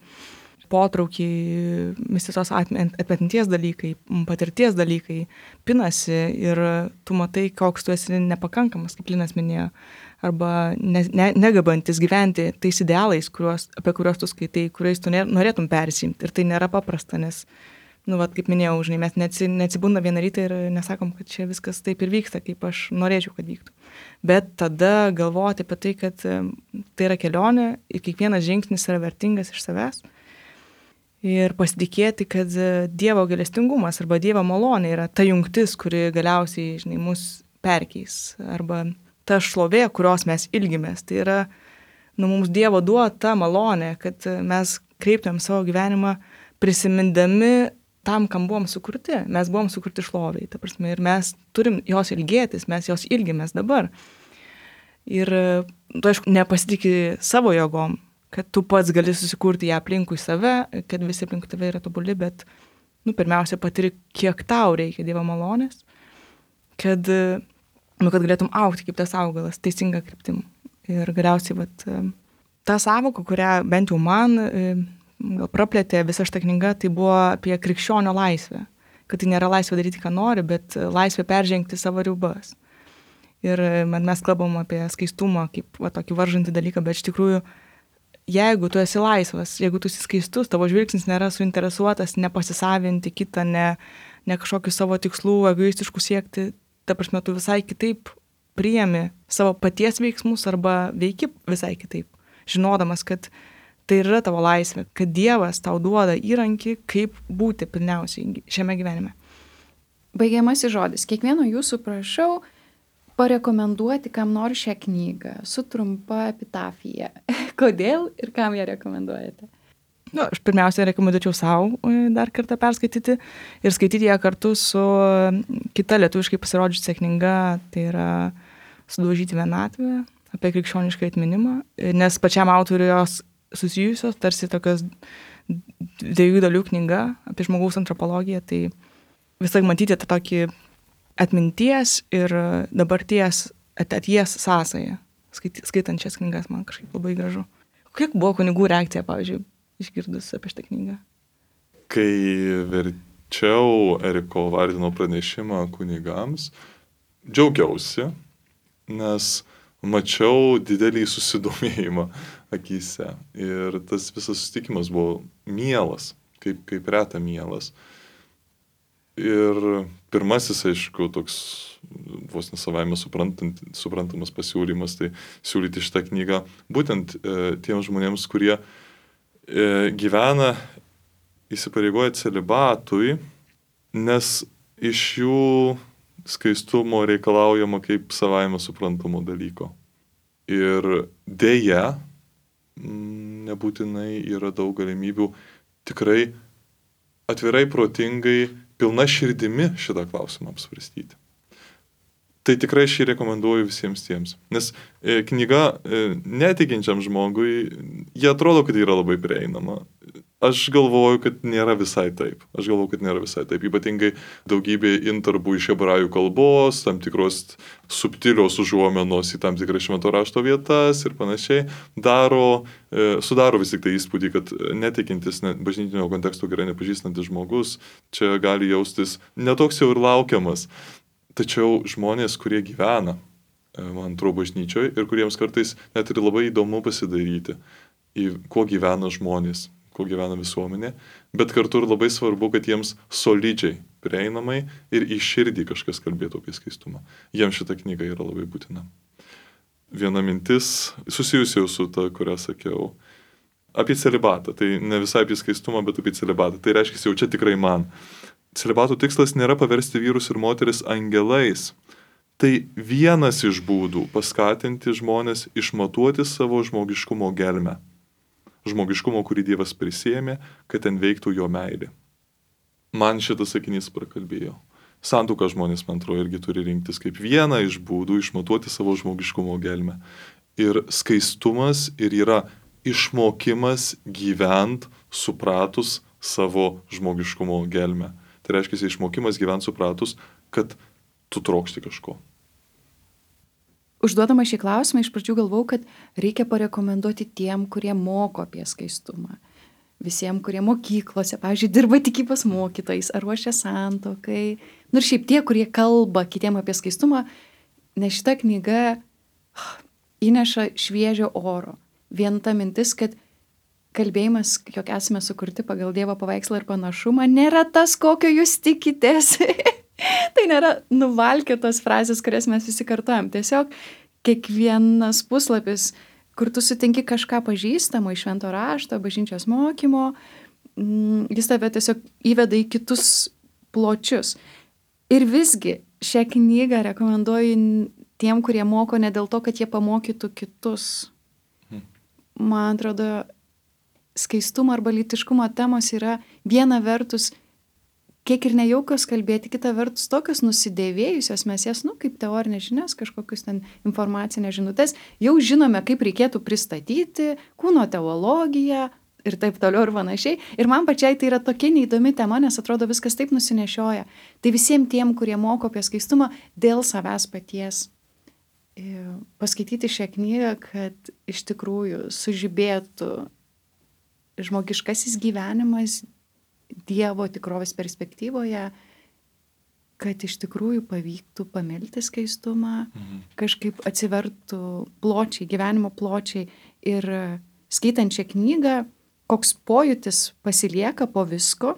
potraukiai, visi tos atminties dalykai, patirties dalykai pinasi ir tu matai, koks tu esi nepakankamas, kaip Linas minėjo, arba ne, ne, negabantis gyventi tais idealais, kuriuos, apie kuriuos tu skaitai, kuriais tu norėtum persimti. Ir tai nėra paprasta, nes nu, vat, kaip minėjau, žinai, mes neatsibunda vieną rytą ir nesakom, kad čia viskas taip ir vyksta, kaip aš norėčiau, kad vyktų. Bet tada galvoti apie tai, kad tai yra kelionė ir kiekvienas žingsnis yra vertingas iš savęs. Ir pasitikėti, kad Dievo gailestingumas arba Dievo malonė yra ta jungtis, kuri galiausiai, žinai, mus perkeis. Arba ta šlovė, kurios mes ilgimės. Tai yra, nu, mums Dievo duota malonė, kad mes kreiptumėm savo gyvenimą prisimindami tam, kam buvom sukurti. Mes buvom sukurti šloviai, ta prasme, ir mes turim jos ilgėtis, mes jos ilgimės dabar. Ir tu, aišku, nepasitikė savo jėgom, kad tu pats gali susikurti ją aplinkui save, kad visi aplinkui tave yra tobuli, bet, nu, pirmiausia, patiri, kiek tau reikia Dievo malonės, kad, nu, kad galėtum augti kaip tas augalas, teisinga kryptim. Ir galiausiai, vat, ta sąvoka, kurią bent jau man gal praplėtė visa šita knyga, tai buvo apie krikščionio laisvę. Kad tai nėra laisvė daryti, ką nori, bet laisvė peržengti savo ribas. Ir mes kalbam apie skaistumą kaip va, tokį varžantį dalyką, bet iš tikrųjų, jeigu tu esi laisvas, jeigu tu esi skaistus, tavo žvilgsnis nėra suinteresuotas nepasisavinti kitą, ne, ne kažkokių savo tikslų, egoistiškų siekti, ta prasme, tu visai kitaip priimi savo paties veiksmus arba veiki visai kitaip, žinodamas, kad tai yra tavo laisvė, kad Dievas tau duoda įrankį, kaip būti pilniausiai šiame gyvenime. Baigiamasis žodis. Kiekvieno jūsų prašau parekomenduoti, kam nors šią knygą su trumpa epitafija. Kodėl ir kam ją rekomenduojate? Nu, aš pirmiausia rekomenduočiau savo dar kartą perskaityti ir skaityti ją kartu su kita lietuviškai pasirodžiusia knyga, tai yra Sudaužyti vienatvę, apie krikščionišką atminimą, nes pačiam autoriui jos susijusios, tarsi tokios dviejų dalių knyga apie žmogaus antropologiją, tai visai matyti tą tokį atminties ir dabarties ateities sąsają, skaitant šias knygas, man kažkaip labai gražu. Kiek buvo kunigų reakcija, pavyzdžiui, išgirdus apie šitą knygą? Kai verčiau Eriko Vardino pranešimą kunigams, džiaugiausi, nes mačiau didelį susidomėjimą akyse. Ir tas visas susitikimas buvo mielas, kaip, kaip reta mielas. Ir pirmasis, aišku, toks vos nesavaime suprantamas pasiūlymas, tai siūlyti šitą knygą būtent e, tiems žmonėms, kurie e, gyvena įsipareigoja celibatui, nes iš jų skaistumo reikalaujama kaip savaime suprantamo dalyko. Ir dėja, nebūtinai yra daug galimybių tikrai atvirai, protingai, pilna širdimi šitą klausimą apsvarstyti. Tai tikrai šį rekomenduoju visiems tiems. Nes e, knyga e, netikinčiam žmogui, jie atrodo, kad yra labai prieinama. Aš galvoju, kad nėra visai taip. Aš galvoju, kad nėra visai taip. Ypatingai daugybė intarpų iš hebrajų kalbos, tam tikros subtilios užuomenos į tam tikras švento rašto vietas ir panašiai, daro, e, sudaro vis tik tai įspūdį, kad netikintis, ne, bažnytinio konteksto gerai nepažįstantis žmogus čia gali jaustis netoks jau ir laukiamas. Tačiau žmonės, kurie gyvena, man atrodo, bažnyčioje ir kuriems kartais net ir labai įdomu pasidaryti, į kuo gyvena žmonės, kuo gyvena visuomenė, bet kartu ir labai svarbu, kad jiems solidžiai, prieinamai ir į širdį kažkas kalbėtų apie skaistumą. Jiems šita knyga yra labai būtina. Viena mintis, susijusi jau su ta, kurią sakiau, apie celibatą. Tai ne visai apie skaistumą, bet apie celibatą. Tai reiškia, jau čia tikrai man. Celibato tikslas nėra paversti vyrus ir moteris angelais. Tai vienas iš būdų paskatinti žmonės išmatuoti savo žmogiškumo gelmę. Žmogiškumo, kurį Dievas prisėmė, kad ten veiktų jo meilė. Man šitas sakinys prakalbėjo. Santuoką žmonės, man atrodo, irgi turi rinktis kaip vieną iš būdų išmatuoti savo žmogiškumo gelmę. Ir skaistumas ir yra išmokimas gyvent supratus savo žmogiškumo gelmę. Tai reiškia, išmokimas gyvent supratus, kad tu trokšti kažko. Užduodama šį klausimą, iš pradžių galvau, kad reikia parekomenduoti tiem, kurie moko apie skaistumą. Visiems, kurie mokyklose, pavyzdžiui, dirba tikybos mokytojais ar ruošia santuokai. Nu ir šiaip tie, kurie kalba kitiem apie skaistumą, nes šita knyga įneša šviežio oro. Vien ta mintis, kad kalbėjimas, jog esame sukurti pagal Dievo paveikslą ir panašumą, nėra tas, kokio jūs tikitės. Tai nėra nuvalkėtos frazės, kurias mes visi kartuojam. Tiesiog kiekvienas puslapis, kur tu sutinki kažką pažįstamo iš švento rašto, bažnyčios mokymo, jis tave tiesiog įveda į kitus pločius. Ir visgi šią knygą rekomenduoju tiem, kurie moko ne dėl to, kad jie pamokytų kitus. Man atrodo, skaistumo arba lytiškumo temos yra viena vertus kiek ir nejaukios kalbėti, kita vertus tokios nusidėvėjusios, mes jas, nu, kaip teorinės žinias, kažkokius ten informacinės žinutės, jau žinome, kaip reikėtų pristatyti, kūno teologiją ir taip toliau ir panašiai. Ir man pačiai tai yra tokia neįdomi tema, nes atrodo viskas taip nusinešioja. Tai visiems tiem, kurie moko apie skaistumą dėl savęs paties, paskaityti šią knygą, kad iš tikrųjų sužibėtų žmogiškasis gyvenimas Dievo tikrovės perspektyvoje, kad iš tikrųjų pavyktų pamilti skaistumą, mhm. kažkaip atsivertų pločiai, gyvenimo pločiai. Ir skaitant šią knygą, koks pojūtis pasilieka po visko,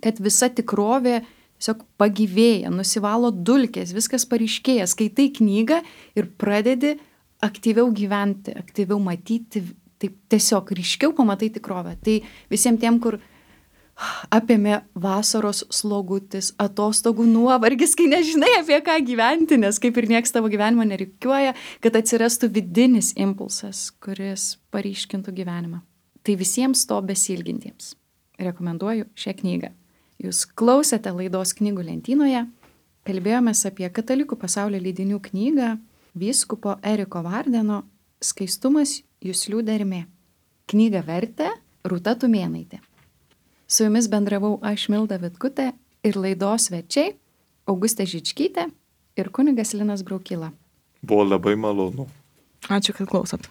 kad visa tikrovė tiesiog pagyvėja, nusivalo dulkės, viskas paryškėja. Skaitai knygą ir pradedi aktyviau gyventi, aktyviau matyti, taip tiesiog ryškiau pamatai tikrovę. Tai visiems tiem, kur apėmė vasaros slogutis, atostogų nuovargis, kai nežinai apie ką gyventi, nes kaip ir nieks tavo gyvenimo nereikiuoja, kad atsirastų vidinis impulsas, kuris paryškintų gyvenimą. Tai visiems to besilgintiems rekomenduoju šią knygą. Jūs klausėte laidos Knygų lentynoje, kalbėjomės apie Katalikų pasaulio leidinių knygą vyskupo Eriko Vardeno Skaistumas juslių dermė. Knygą vertė Rūta Tumėnaitė. Su jumis bendravau aš Milda Vitkutė ir laidos svečiai Augustė Žičkytė ir kunigas Linas Braukila. Buvo labai malonu. Ačiū, kad klausot.